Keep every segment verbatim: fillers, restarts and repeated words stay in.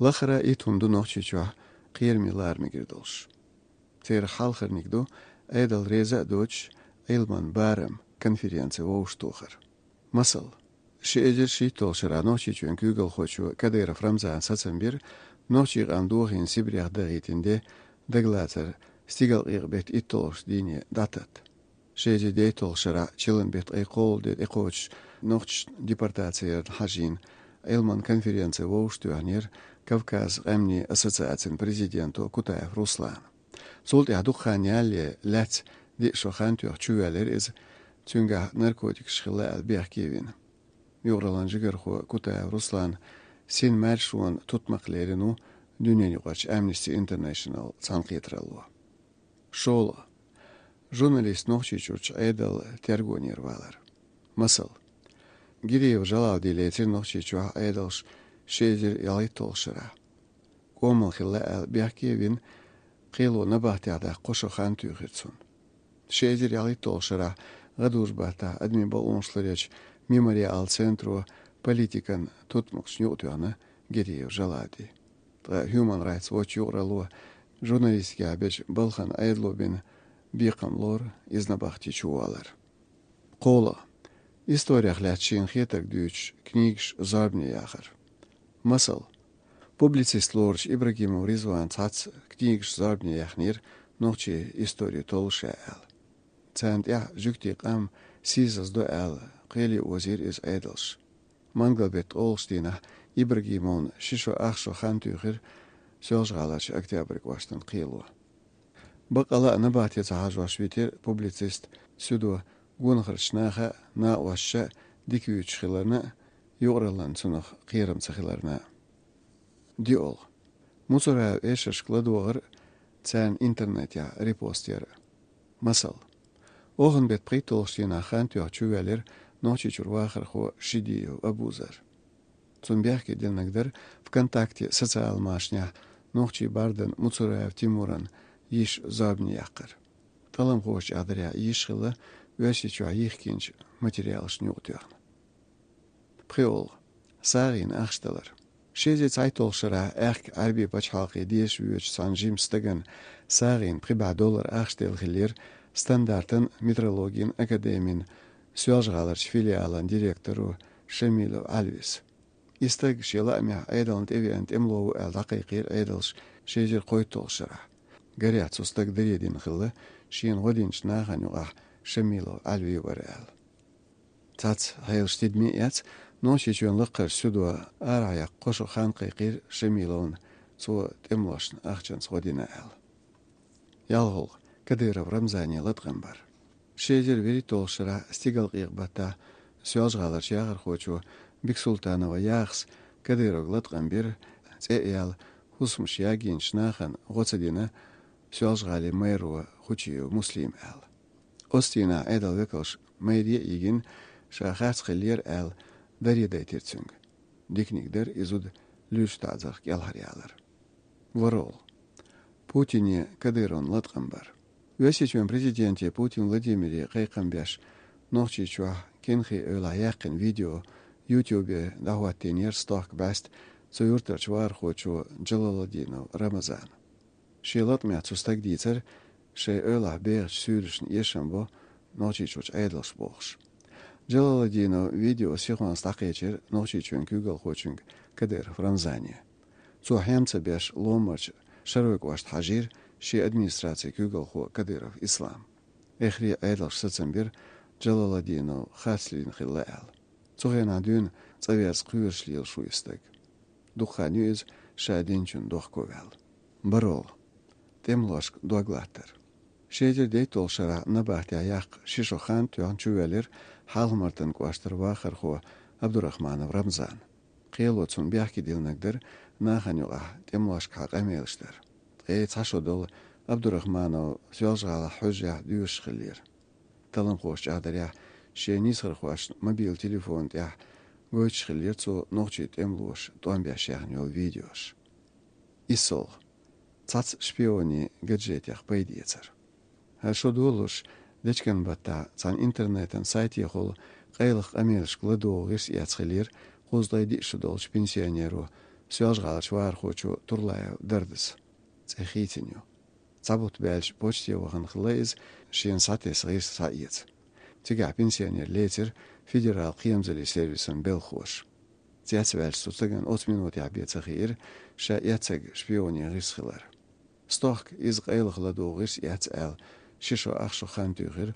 Лахара итт хӀума ду Нохчийчохь кхераме лара мегар долуш. Церан хьалхарниг ду Ӏедал реза а доцуш, Ӏилман барам конференци вовшахтохар. Масал, ши эзар шийтталгӀачу шарахь Нохчийчоьнан куьйгалхочо Кадыров Рамзана сацам бира, нохчийн къам дохийна Сибрех дахийтина де дагалацар стигалкъекъа беттан итталгӀачу дийне дӀататта. Ши эзар дейтталгӀачу шарахь чиллан беттан ткъе кхоалгӀа де тӀекхочуш нохчашна депортаци ярна хьажийна, Ӏилман конференци вовшахтоьхнера Кавказан къаьмнийн ассоциацин президенто Кутаев Руслана. Цул тӀаьхьа дукха хан ялале лаьцна диъ шо хан тоьхна чувоьллира иза, цуьнгахь наркотикаш хилла аьлла бехке вина. Юкъараллин жигархо Кутаев Руслан син маршонан тутмакх лерина ву дуьненаюкъарчу Amnesty International цхьаьнакхетаралло. ШолгӀа. Журналист Нохчийчуьрчу Ӏедалан тергонера валар. Масал, Гириев Жалавди лецира Нохчийчохь Ӏедалша ши эзар ялхитталгӀачу шарахь. КӀомал хилла аьлла бехке а вина, кхело набахтехь даккха кхо шо хан туьйхира цунна. Ши эзар ялхитталгӀачу шарахь гӀадужу-баттахь адамийн бакъонаш ларъечу Мемориал центро политикан тутмакхашна юкъатоьхна Гириев Жалавди. Ткъа Human Rights Watch юкъаралло журналистикехь бечу балхана Ӏедало бина бекхам лору иза набахти чувалар. КхоалгӀа. Историх лаьцна шена хетарг дуьйцуш книгаш зорбане яхар. Масал, публицист лоручу Ибрагимов Ризвана цхьацца книгаш зорбане яьхнера нохчийн истори толлуш а аьлла. Царна тӀехь жуьгтийн къам сийсаздо аьлла кхеле озийра иза Ӏедалша. Мангал-беттан ткъолгӀачу дийнахь Ибрагимовна ши шо ах шо хан туьйхира Соьлжа-ГӀаларчу Октябрь кӀоштан кхело. Баккъала а набахте ца хьажош витира публицист Сюдо гонахарчу наха а, накъосташа а дика вуьйцуш хиларна а, юкъараллин цунах кхерам ца хиларна а. ДиолгӀа. Муцураев эшаршка ладогӀар а, царна интернетехь репост яр а. Масал, оханан беттан пхийтталгӀачу дийнахь хан тоьхна чувоьллира Нохчийчуьра вахархо Шидиев Абузар. Цунна бехке динарг дара ВКонтакте социал машанехь нохчийн бардан Муцураев Тимуран йиша зорбане яккхар. ТӀаламхоша чӀагӀдарехь, йиша хилла Оьрсийчохь йихкинчу материалашна юкъатоьхна. ПхоьалгӀа. СагӀина ахча далар. Ши эзар цхьайтталгӀачу шарахь аьхка Ӏаьрбийн пачхьалкхе деша воьдучу цхьана жимачу стагана сагӀина пхи бӀе доллар ахча делла хиллера стандартан метрологин академин Соьлжа-ГӀаларчу филиалан директоро Шамилов Ӏалвис. И стаг шен лаамехь Ӏедална тӀевеана тӀемало ву аьлла дӀакхайкхийра Ӏедалша ши эзар кхойтталгӀачу шарахь. Гарехь, цу стага даре дина хилла шена гӀо динчу нахана юкъахь Шамилов Ӏалви вара аьлла. Цхьацца хьелаш тидаме а эцна, Нохчийчоьнан лакхарчу Сюдо арахь яккха кхо шо хан кхайкхийра Шамиловна, цо тӀемалошна ахчанца гӀо дина аьлла. ЯлхолгӀа. Кадыров Рамзане латкъам бар. Ши эзар вуьрхӀитталгӀачу шарахь стигалкъекъа баттахь Соьлжа-ГӀаларчу яхархочо Бексултанова Яхас Кадыровга латкъам бира, цӀе а яьлла, хӀусамаш ягийначу нахана гӀо ца дина Соьлжа-ГӀалин мэро Хучиев Муслима аьлла. Оцу дийнахь Ӏедалан векалша мэре а йигина, ша харц хиллера аьлла, даре дайтира цуьнга. Диканиг дара и зуда луьйш таӀзарх кӀелхьаръялар. ВорхӀалгӀа. Путине Кадыровна латкъам бар. Оьрсийчоьнан президенте Путин Владимире кхайкхам беш, Нохчийчохь Кенхи эвлахь яьккхина видео YouTube-е дӀахӀоттийнера стохка бӀаьста цу юьртарчу вахархочо Джалаладдинов Рамазана. Шен латкъамехь цу стага дийцира шайн эвлахь бехачу суьйлашна эшам бо Нохчийчуьрчу Ӏедалша бохуш. Джалаладдинов видео сихонца дӀакхечира Нохчийчоьнан куьйгалхочуьнга Кадыров Рамзане. Цо хьем ца беш Ломмарчу Шаройн кӀошта хьажийра шен администрацин куьйгалхо Кадыров Ислам. Эххар а Ӏедалша сацам бира Джалаладдинов харцлийна хилла аьлла. Цу хенахь дуьйна цӀа верза кхоьруш лелаш ву и стаг. Дукха хан ю иза ша динчунна дохко ваьлла. БархӀалгӀа. ТӀемалошка дог латтар. Ши эзар дейтталгӀачу шарахь набахтехь яккха ши шо хан тоьхна чувоьллира Хьалха-Мартан кӀоштара вахархо Абдурахманов Рамзан. Кхело цунна бехке диллинарг дара нахана юкъахь тӀемалошкахьа къамелаш дар. Ткъе цхьа шо долу Абдурахманов Соьлжа-ГӀалахь хьуьжарехь доьшуш хиллера. Талламхоша чӀагӀдарехь, шен нийсхархошна мобил телефон тӀехь гойтуш хиллера цо нохчийн тӀемалоша тӀом беш яьхна йолу видеош. ИссолгӀа. Цхьацца шпионийн гаджетех пайда эцар. ХӀара шо долуш, дечкен баттахь цхьана интернетан сайтехула къайлаха къамелашка ладогӀа гӀирс эцна хиллера кхузткъе диъ шо долчу пенсионеро Соьлжа-ГӀаларчу вахархочо Турлаев Дардас цӀе хийцина ю. Цхьа бутт баьлча почте вахана хилла иза, шена схьатесса гӀирс схьаэца. Цигахь пенсионер лецира федерал кхерамзаллин сервисан белхахоша. Цецваьлча цу стагана оцу минотехь бен ца хиира ша эцнарг шпионийн гӀирс хилар. Стохка иза къайлаха ладугӀу гӀирс эц аьлла, ши шо ах шо хан туьйхира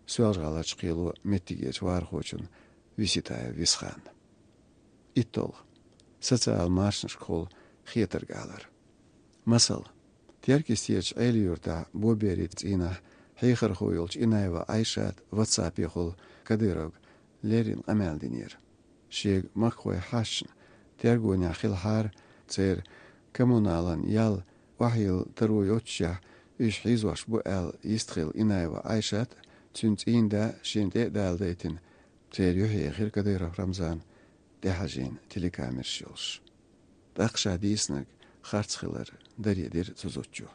Соьлжа-ГӀаларчу кхело меттигерчу вахархочунна Виситаев Висханна. ИтталгӀа. Социал машанашкахула хетарг алар. Масала, Теркйистерчу Ӏелин-Юьртахь Боберин цӀийнахь хьехархо йолчу Инаева Ӏайшата ватсапехула Кадыровга леррина къамел динера. Шега махкахой хьаьжча, тергонехь хилахьара церан коммуналан ял охьайилла таро йоццушехь, уьш хьийзош бу аьлла йистхилла Инаева Ӏайшат а, цуьнан цӀийнан да а шена тӀе а даладайтина, церан юьхь ехира Кадыров Рамзан, тӀехьажийна телекамераш йолуш. ТӀаккха ша дийцинарг харц хилар даре дира цу зудчо.